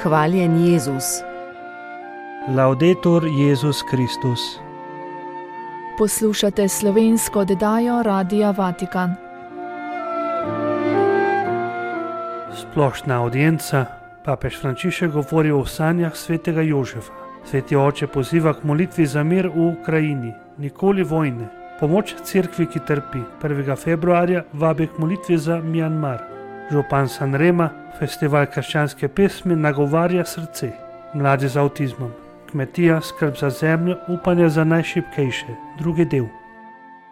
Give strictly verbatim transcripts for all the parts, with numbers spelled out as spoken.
Hvaljen Jezus. Laudetur Jezus Kristus. Poslušate slovensko oddajo Radia Vatikan. Splošna audienca. Papež Frančišek govori o sanjah svetega Jožefa. Sveti oče poziva k molitvi za mir v Ukrajini. Nikoli vojne. Pomoč cerkvi, ki trpi. prvega februarja vabi k molitvi za Mjanmar. Župan Sanrema, festival krščanske pesmi, nagovarja srce. Mladi z avtizmom. Kmetija, skrb za zemljo, upanje za najšibkejše. Drugi del.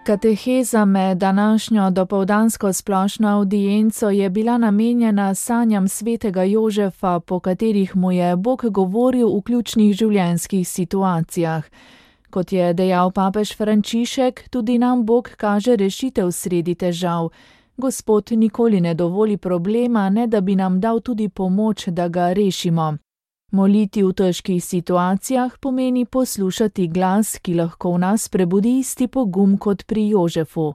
Kateheza med današnjo dopoldansko splošno audienco je bila namenjena sanjam svetega Jožefa, po katerih mu je Bog govoril v ključnih življenjskih situacijah. Kot je dejal papež Frančišek, tudi nam Bog kaže rešitev sredi težav. Gospod nikoli ne dovoli problema, ne da bi nam dal tudi pomoč, da ga rešimo. Moliti v težkih situacijah pomeni poslušati glas, ki lahko v nas prebudi isti pogum kot pri Jožefu.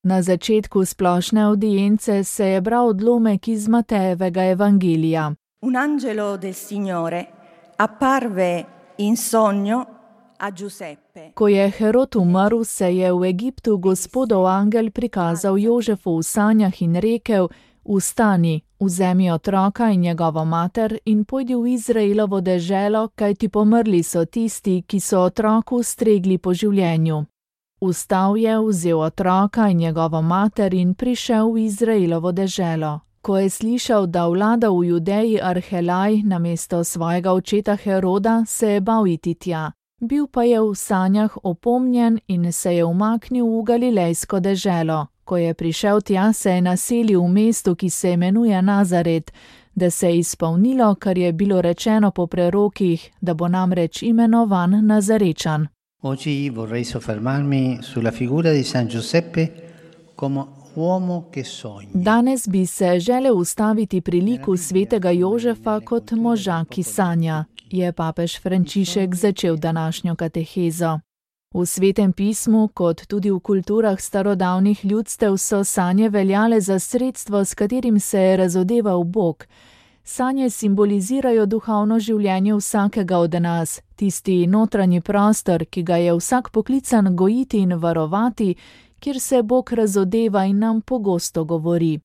Na začetku splošne audience se je bral odlomek iz Matejevega evangelija. Un angelo del Signore apparve in sogno a Giuseppe. Ko je Herod umrl, se je v Egiptu Gospodov angel prikazal Jožefu v sanjah in rekel: Vstani, vzemi otroka in njegovo mater in pojdi v Izraelovo deželo, kajti pomrli so tisti, ki so otroku stregli po življenju. Vstal je, vzel otroka in njegovo mater in prišel v Izraelovo deželo. Ko je slišal, da vlada v Judeji Arhelaj namesto svojega očeta Heroda, se je bal iti tja. Bil pa je v sanjah opomnjen in se je umaknil v Galilejsko deželo. Ko je prišel tja, se je naselil v mestu, ki se imenuje Nazaret, da se je izpolnilo, kar je bilo rečeno po prerokih, da bo namreč imenovan Nazarečan. Oggi vorrei soffermarmi sulla figura di San Giuseppe come uomo che sogna. Danes bi se želel ustaviti pri liku svetega Jožefa kot moža, ki sanja, je papež Frančišek začel današnjo katehezo. V Svetem pismu, kot tudi v kulturah starodavnih ljudstev, so sanje veljale za sredstvo, s katerim se je razodeval Bog. Sanje simbolizirajo duhovno življenje vsakega od nas, tisti notranji prostor, ki ga je vsak poklican gojiti in varovati, kjer se Bog razodeva in nam pogosto govori.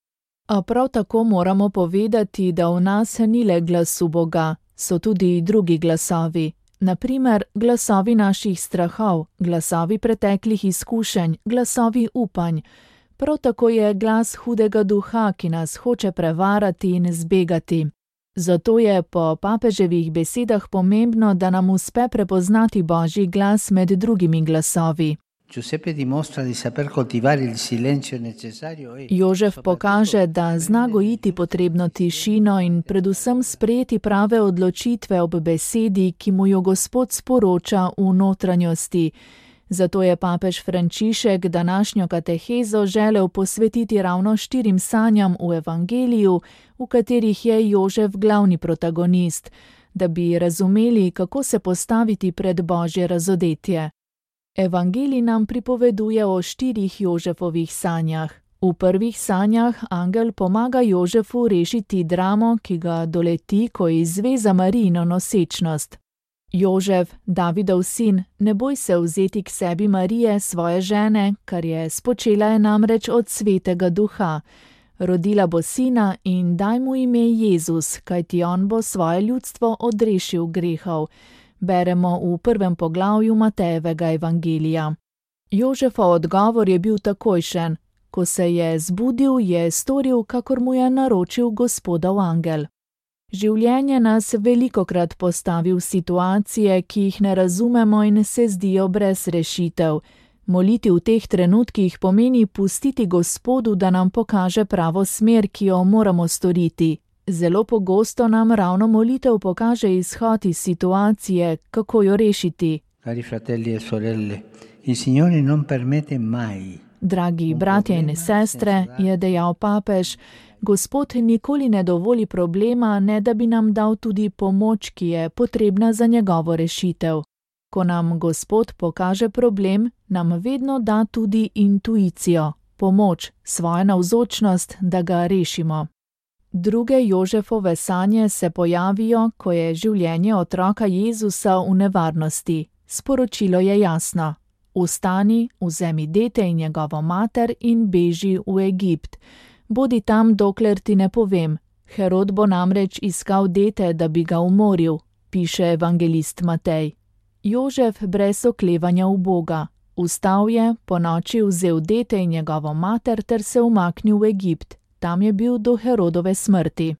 A prav tako moramo povedati, da v nas ni le glasu Boga, so tudi drugi glasovi. Naprimer, glasovi naših strahov, glasovi preteklih izkušenj, glasovi upanj. Prav tako je glas hudega duha, ki nas hoče prevarati in zbegati. Zato je po papeževih besedah pomembno, da nam uspe prepoznati Božji glas med drugimi glasovi. Jožef pokaže, da zna gojiti potrebno tišino in predvsem sprejeti prave odločitve ob besedi, ki mu jo Gospod sporoča v notranjosti. Zato je papež Frančišek današnjo katehezo želel posvetiti ravno štirim sanjam v evangeliju, v katerih je Jožef glavni protagonist, da bi razumeli, kako se postaviti pred Božje razodetje. Evangelij nam pripoveduje o štirih Jožefovih sanjah. V prvih sanjah angel pomaga Jožefu rešiti dramo, ki ga doleti, ko izve za Marijino nosečnost. Jožef, Davidov sin, ne boj se vzeti k sebi Marije, svoje žene, kar je spočela je namreč od svetega duha. Rodila bo sina in daj mu ime Jezus, kajti on bo svoje ljudstvo odrešil grehov. Beremo v prvem poglavju Matejevega evangelija. Jožefov odgovor je bil takojšen. Ko se je zbudil, je storil, kakor mu je naročil Gospodov angel. Življenje nas velikokrat postavi v situacije, ki jih ne razumemo in se zdijo brez rešitev. Moliti v teh trenutkih pomeni pustiti Gospodu, da nam pokaže pravo smer, ki jo moramo storiti. Zelo pogosto nam ravno molitev pokaže izhod iz situacije, kako jo rešiti. Cari fratelli e sorelle, il Signore non permette mai. Dragi bratje in sestre, je dejal papež, Gospod nikoli ne dovoli problema, ne da bi nam dal tudi pomoč, ki je potrebna za njegovo rešitev. Ko nam Gospod pokaže problem, nam vedno da tudi intuicijo, pomoč, svojo navzočnost, da ga rešimo. Druge Jožefove sanje se pojavijo, ko je življenje otroka Jezusa v nevarnosti. Sporočilo je jasno. Vstani, vzemi dete in njegovo mater in beži v Egipt. Bodi tam, dokler ti ne povem. Herod bo namreč iskal dete, da bi ga umoril, piše evangelist Matej. Jožef brez oklevanja v Boga. Vstal je, ponoči vzel dete in njegovo mater ter se umaknil v Egipt. Tam je bil do Herodove smrti.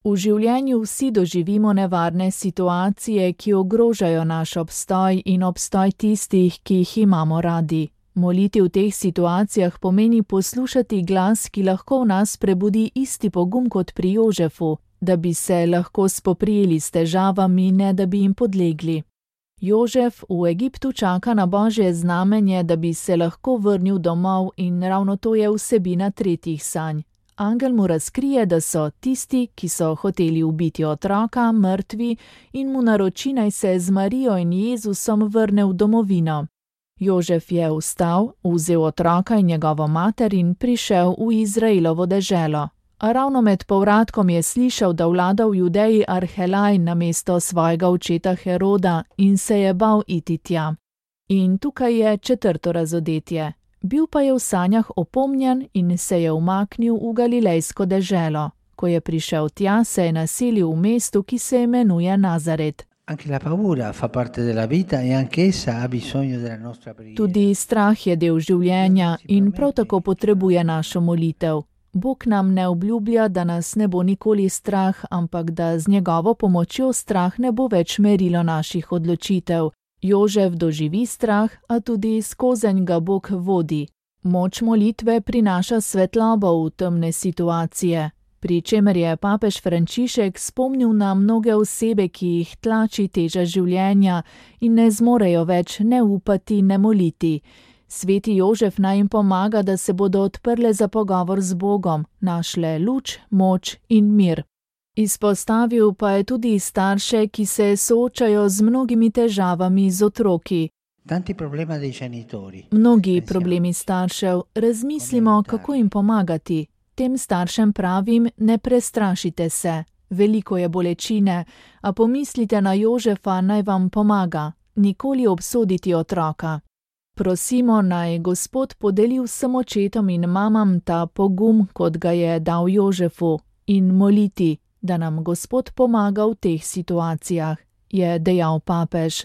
V življenju vsi doživimo nevarne situacije, ki ogrožajo naš obstoj in obstoj tistih, ki jih imamo radi. Moliti v teh situacijah pomeni poslušati glas, ki lahko v nas prebudi isti pogum kot pri Jožefu, da bi se lahko spoprijeli s težavami, ne da bi jim podlegli. Jožef v Egiptu čaka na Božje znamenje, da bi se lahko vrnil domov, in ravno to je vsebina tretjih sanj. Angel mu razkrije, da so tisti, ki so hoteli ubiti otroka, mrtvi, in mu naroči, naj se z Marijo in Jezusom vrne v domovino. Jožef je vstal, vzel otroka in njegovo mater in prišel v Izraelovo deželo. A ravno med povratkom je slišal, da vlada v Judeji Arhelaj namesto svojega očeta Heroda, in se je bal iti tja. In tukaj je četrto razodetje. Bil pa je v sanjah opomnjen in se je umaknil v galilejsko deželo. Ko je prišel tja, se je naselil v mestu, ki se imenuje Nazaret. Tudi strah je del življenja in prav tako potrebuje našo molitev. Bog nam ne obljublja, da nas ne bo nikoli strah, ampak da z njegovo pomočjo strah ne bo več merilo naših odločitev. Jožef doživi strah, a tudi skozenj ga Bog vodi. Moč molitve prinaša svetlobo v temne situacije, pri čemer je papež Frančišek spomnil na mnoge osebe, ki jih tlači teža življenja in ne zmorejo več ne upati, ne moliti. Sveti Jožef naj jim pomaga, da se bodo odprle za pogovor z Bogom, našle luč, moč in mir. Izpostavil pa je tudi starše, ki se soočajo z mnogimi težavami z otroki. Mnogi problemi staršev, razmislimo, kako jim pomagati. Tem staršem pravim, ne prestrašite se. Veliko je bolečine, a pomislite na Jožefa, naj vam pomaga. Nikoli obsoditi otroka. Prosimo, naj Gospod podeli vsem očetom in mamam ta pogum, kot ga je dal Jožefu, in moliti, da nam Gospod pomaga v teh situacijah, je dejal papež.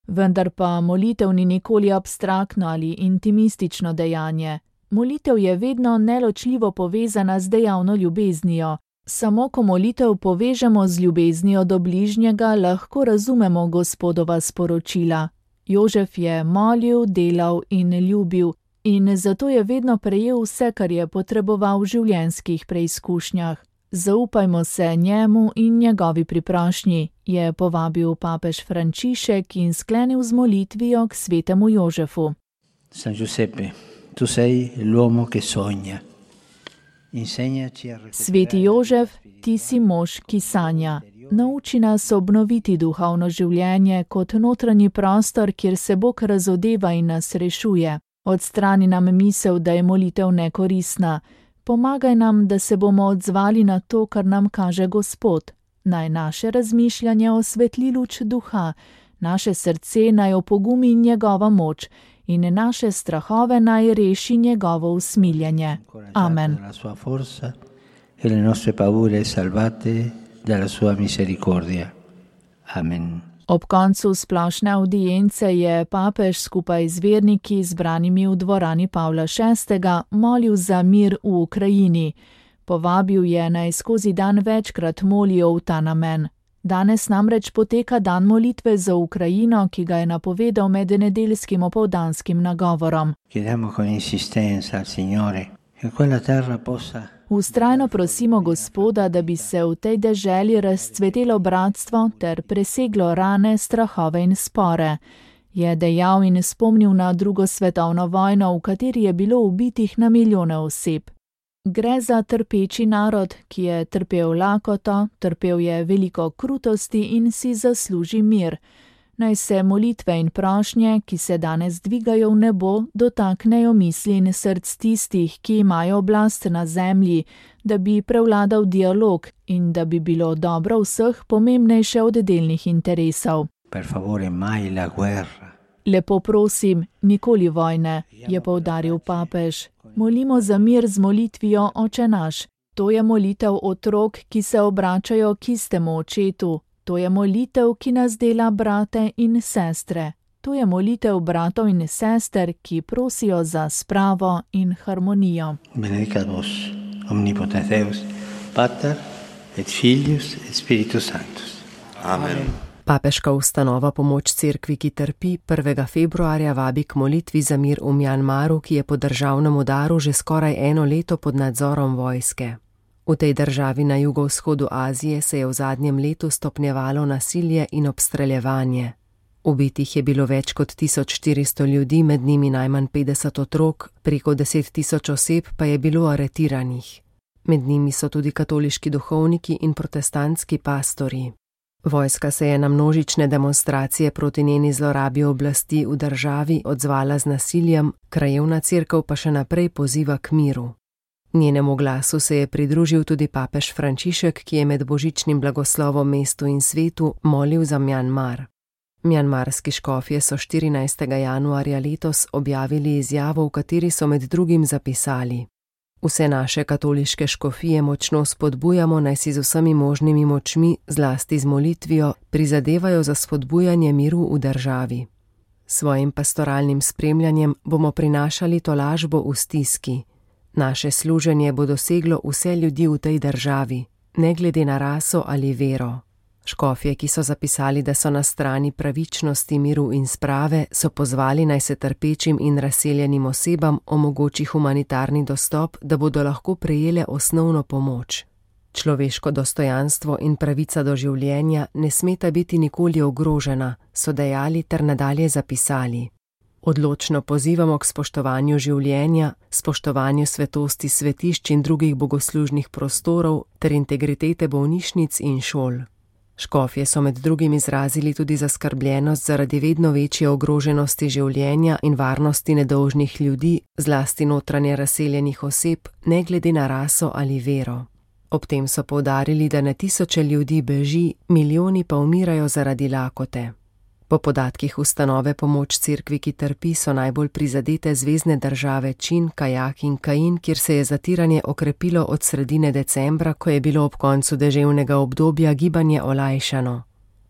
Vendar pa molitev ni nikoli abstraktno ali intimistično dejanje. Molitev je vedno neločljivo povezana z dejavno ljubeznijo. Samo ko molitev povežemo z ljubeznijo do bližnjega, lahko razumemo Gospodova sporočila. Jožef je molil, delal in ljubil, in zato je vedno prejel vse, kar je potreboval v življenjskih preizkušnjah. Zaupajmo se njemu in njegovi priprošnji, je povabil papež Frančišek in sklenil z molitvijo k svetemu Jožefu. San Giuseppe, tu sei l'uomo che sogna. Sveti Jožef, ti si mož, ki sanja. Nauči nas obnoviti duhovno življenje kot notranji prostor, kjer se Bog razodeva in nas rešuje. Odstrani nam misel, da je molitev nekoristna. Pomagaj nam, da se bomo odzvali na to, kar nam kaže Gospod. Naj naše razmišljanje osvetli luč duha, naše srce naj opogumi njegova moč in naše strahove naj reši njegovo usmiljenje. Amen. Amen. Ob koncu splošne avdience je papež skupaj z verniki, zbranimi v dvorani Pavla šestega, molil za mir v Ukrajini. Povabil je, naj skozi dan večkrat molijo v ta namen. Danes namreč poteka dan molitve za Ukrajino, ki ga je napovedal med nedeljskim opoldanskim nagovorom. Vztrajno prosimo Gospoda, da bi se v tej deželi razcvetelo bratstvo ter preseglo rane, strahove in spore. Je dejal in spomnil na drugo svetovno vojno, v kateri je bilo ubitih na milijone oseb. Gre za trpeči narod, ki je trpel lakoto, trpel je veliko krutosti in si zasluži mir. Naj se molitve in prošnje, ki se danes dvigajo v nebo, dotaknejo misli in src tistih, ki imajo oblast na zemlji, da bi prevladal dialog in da bi bilo dobro vseh pomembnejše od delnih interesov. Per favore, mai la guerra. Lepo prosim, nikoli vojne, je poudaril papež. Molimo za mir z molitvijo Oče naš. To je molitev otrok, ki se obračajo k istemu očetu. To je molitev, ki nas dela brate in sestre. To je molitev bratov in sester, ki prosijo za spravo in harmonijo. Benedicat vos, omnipotens Deus, Pater et Filius et Spiritus Sanctus. Amen. Papeška ustanova Pomoč cerkvi, ki trpi, prvega februarja vabi k molitvi za mir v Mjanmaru, ki je po državnem udaru že skoraj eno leto pod nadzorom vojske. V tej državi na jugovzhodu Azije se je v zadnjem letu stopnjevalo nasilje in obstreljevanje. Ubitih je bilo več kot tisoč štiristo ljudi, med njimi najmanj petdeset otrok, preko deset tisoč oseb pa je bilo aretiranih. Med njimi so tudi katoliški duhovniki in protestantski pastorji. Vojska se je na množične demonstracije proti njeni zlorabi oblasti v državi odzvala z nasiljem, krajevna cerkev pa še naprej poziva k miru. Njenemu glasu se je pridružil tudi papež Frančišek, ki je med božičnim blagoslovom mestu in svetu molil za Mjanmar. Mjanmarski škofje so štirinajstega januarja letos objavili izjavo, v kateri so med drugim zapisali: Vse naše katoliške škofije močno spodbujamo, naj si z vsemi možnimi močmi, zlasti z molitvijo, prizadevajo za spodbujanje miru v državi. Svojim pastoralnim spremljanjem bomo prinašali tolažbo v stiski. Naše služenje bo doseglo vse ljudi v tej državi, ne glede na raso ali vero. Škofje, ki so zapisali, da so na strani pravičnosti, miru in sprave, so pozvali, naj se trpečim in razseljenim osebam omogoči humanitarni dostop, da bodo lahko prejele osnovno pomoč. Človeško dostojanstvo in pravica do življenja ne smeta biti nikoli ogrožena, so dejali ter nadalje zapisali. Odločno pozivamo k spoštovanju življenja, spoštovanju svetosti svetišč in drugih bogoslužnih prostorov ter integritete bolnišnic in šol. Škofje so med drugim izrazili tudi zaskrbljenost zaradi vedno večje ogroženosti življenja in varnosti nedolžnih ljudi, zlasti notranje razseljenih oseb, ne glede na raso ali vero. Ob tem so poudarili, da na tisoče ljudi beži, milijoni pa umirajo zaradi lakote. Po podatkih ustanove Pomoč cerkvi, ki trpi, so najbolj prizadete zvezne države Čin, Kajak in Kain, kjer se je zatiranje okrepilo od sredine decembra, ko je bilo ob koncu deževnega obdobja gibanje olajšano.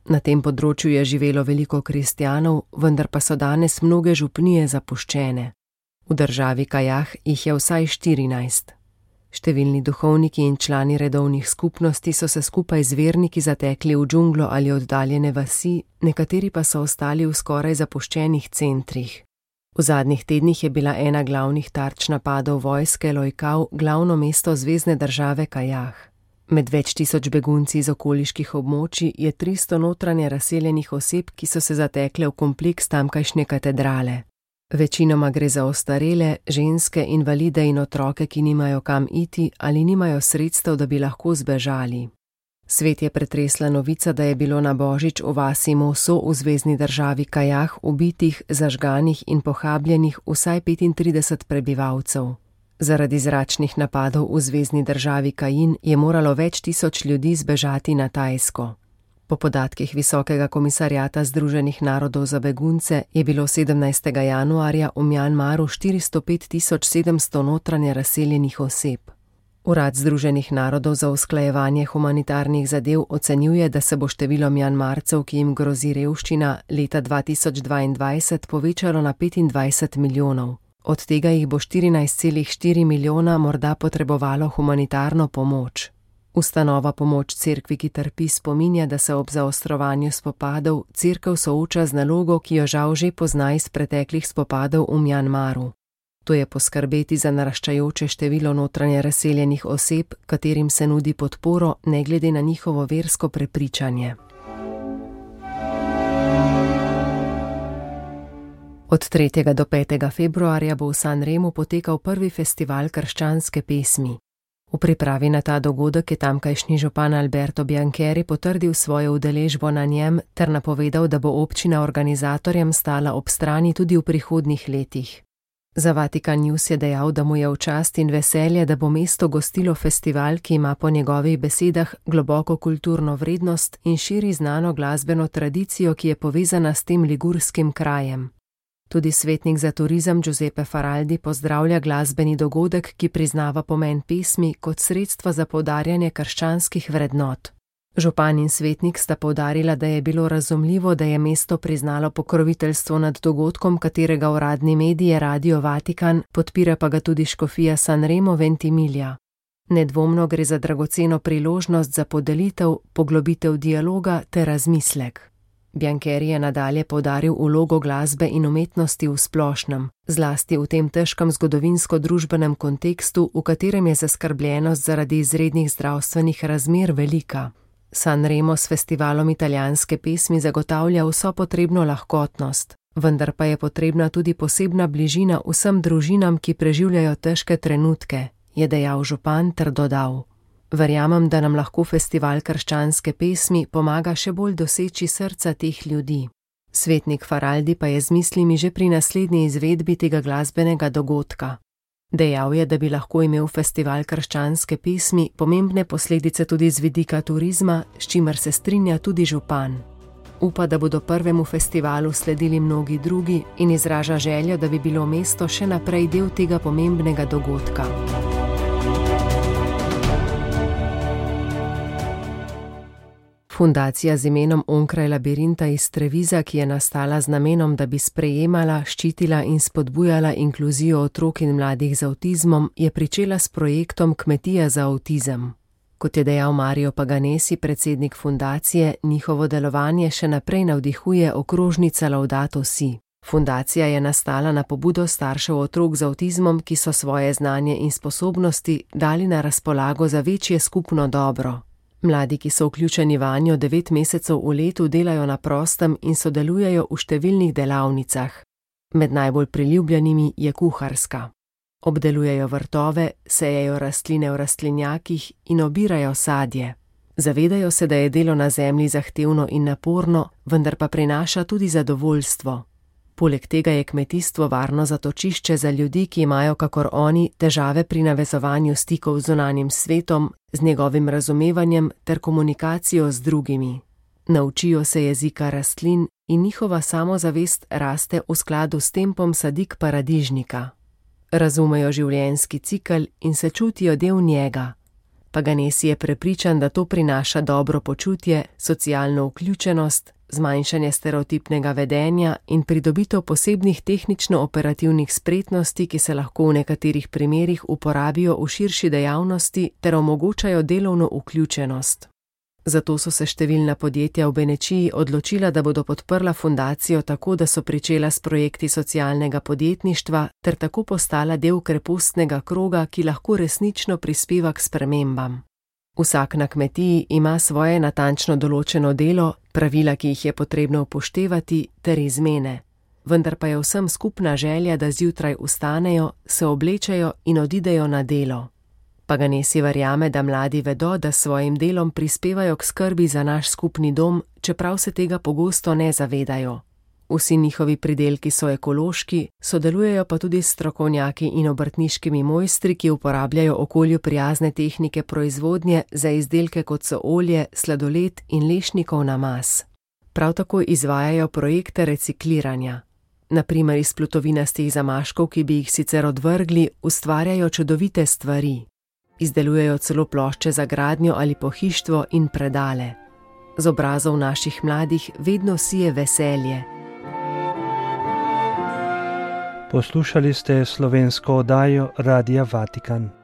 Na tem področju je živelo veliko kristjanov, vendar pa so danes mnoge župnije zapuščene. V državi Kajah jih je vsaj štirinajst. Številni duhovniki in člani redovnih skupnosti so se skupaj z verniki zatekli v džunglo ali oddaljene vasi, nekateri pa so ostali v skoraj zapuščenih centrih. V zadnjih tednih je bila ena glavnih tarč napadov vojske Lojkau glavno mesto zvezne države Kajah. Med več tisoč begunci iz okoliških območij je tristo notranje razseljenih oseb, ki so se zatekle v kompleks tamkajšnje katedrale. Večinoma gre za ostarele, ženske, invalide in otroke, ki nimajo kam iti ali nimajo sredstev, da bi lahko zbežali. Svet je pretresla novica, da je bilo na božič v vasi Moso v zvezni državi Kajah ubitih, zažganih in pohabljenih vsaj petintrideset prebivalcev. Zaradi zračnih napadov v zvezni državi Kain je moralo več tisoč ljudi zbežati na Tajsko. Po podatkih Visokega komisarjata Združenih narodov za begunce je bilo sedemnajstega januarja v Mjanmaru štiristo pet tisoč sedemsto notranje razseljenih oseb. Urad Združenih narodov za usklajevanje humanitarnih zadev ocenjuje, da se bo število Mjanmarcev, ki jim grozi revščina, leta dva tisoč dvaindvajset povečalo na petindvajset milijonov. Od tega jih bo štirinajst celih štiri milijona morda potrebovalo humanitarno pomoč. Ustanova Pomoč cerkvi, ki trpi, spominja, da se ob zaostrovanju spopadov cerkev sooča z nalogo, ki jo žal že pozna iz preteklih spopadov v Mjanmaru. To je poskrbeti za naraščajoče število notranje razseljenih oseb, katerim se nudi podporo ne glede na njihovo versko prepričanje. Od tretjega do petega februarja bo v Sanremu potekal prvi festival krščanske pesmi. V pripravi na ta dogodek je tamkajšnji župan Alberto Biancheri potrdil svojo udeležbo na njem ter napovedal, da bo občina organizatorjem stala ob strani tudi v prihodnjih letih. Za Vatikan News je dejal, da mu je v čast in veselje, da bo mesto gostilo festival, ki ima po njegovih besedah globoko kulturno vrednost in širi znano glasbeno tradicijo, ki je povezana s tem ligurskim krajem. Tudi svetnik za turizem Giuseppe Faraldi pozdravlja glasbeni dogodek, ki priznava pomen pesmi kot sredstva za poudarjanje krščanskih vrednot. Župan in svetnik sta poudarila, da je bilo razumljivo, da je mesto priznalo pokroviteljstvo nad dogodkom, katerega uradni medij je Radio Vatikan, podpira pa ga tudi škofija Sanremo Ventimiglia. Nedvomno gre za dragoceno priložnost za podelitev, poglobitev dialoga ter razmislek. Biancheri je nadalje poudaril vlogo glasbe in umetnosti v splošnem, zlasti v tem težkem zgodovinsko-družbenem kontekstu, v katerem je zaskrbljenost zaradi izrednih zdravstvenih razmer velika. Sanremo s festivalom italijanske pesmi zagotavlja vso potrebno lahkotnost, vendar pa je potrebna tudi posebna bližina vsem družinam, ki preživljajo težke trenutke, je dejal župan ter dodal. Verjamem, da nam lahko festival krščanske pesmi pomaga še bolj doseči srca teh ljudi. Svetnik Faraldi pa je z mislimi že pri naslednji izvedbi tega glasbenega dogodka. Dejal je, da bi lahko imel festival krščanske pesmi pomembne posledice tudi z vidika turizma, s čimer se strinja tudi župan. Upa, da bodo prvemu festivalu sledili mnogi drugi in izraža željo, da bi bilo mesto še naprej del tega pomembnega dogodka. Fundacija z imenom Onkraj labirinta iz Treviza, ki je nastala z namenom, da bi sprejemala, ščitila in spodbujala inkluzijo otrok in mladih z avtizmom, je pričela s projektom Kmetija za avtizem. Kot je dejal Mario Paganesi, predsednik fundacije, njihovo delovanje še naprej navdihuje okrožnica Laudato Si. Fundacija je nastala na pobudo staršev otrok z avtizmom, ki so svoje znanje in sposobnosti dali na razpolago za večje skupno dobro. Mladi, ki so vključeni vanjo devet mesecev v letu, delajo na prostem in sodelujejo v številnih delavnicah. Med najbolj priljubljenimi je kuharska. Obdelujejo vrtove, sejejo rastline v rastlinjakih in obirajo sadje. Zavedajo se, da je delo na zemlji zahtevno in naporno, vendar pa prinaša tudi zadovoljstvo. Poleg tega je kmetijstvo varno zatočišče za ljudi, ki imajo, kakor oni, težave pri navezovanju stikov z zunanjim svetom, z njegovim razumevanjem ter komunikacijo z drugimi. Naučijo se jezika rastlin in njihova samozavest raste v skladu s tempom sadik paradižnika. Razumejo življenjski cikel in se čutijo del njega. Paganesi je prepričan, da to prinaša dobro počutje, socialno vključenost, zmanjšanje stereotipnega vedenja in pridobitev posebnih tehnično-operativnih spretnosti, ki se lahko v nekaterih primerih uporabijo v širši dejavnosti ter omogočajo delovno vključenost. Zato so se številna podjetja v Benečiji odločila, da bodo podprla fundacijo tako, da so pričela s projekti socialnega podjetništva ter tako postala del krepostnega kroga, ki lahko resnično prispeva k spremembam. Vsak na kmetiji ima svoje natančno določeno delo, pravila, ki jih je potrebno upoštevati, ter izmene. Vendar pa je vsem skupna želja, da zjutraj vstanejo, se oblečejo in odidejo na delo. Paganesi verjame, da mladi vedo, da s svojim delom prispevajo k skrbi za naš skupni dom, čeprav se tega pogosto ne zavedajo. Vsi njihovi pridelki so ekološki, sodelujejo pa tudi s strokovnjaki in obrtniškimi mojstri, ki uporabljajo okolju prijazne tehnike proizvodnje za izdelke kot so olje, sladoled in lešnikov namaz. Prav tako izvajajo projekte recikliranja. Na primer iz plutovinastih zamaškov, ki bi jih sicer odvrgli, ustvarjajo čudovite stvari. Izdelujejo celo plošče za gradnjo ali pohištvo in predale. Z obrazov naših mladih vedno sije veselje. Poslušali ste slovensko oddajo Radia Vatikan.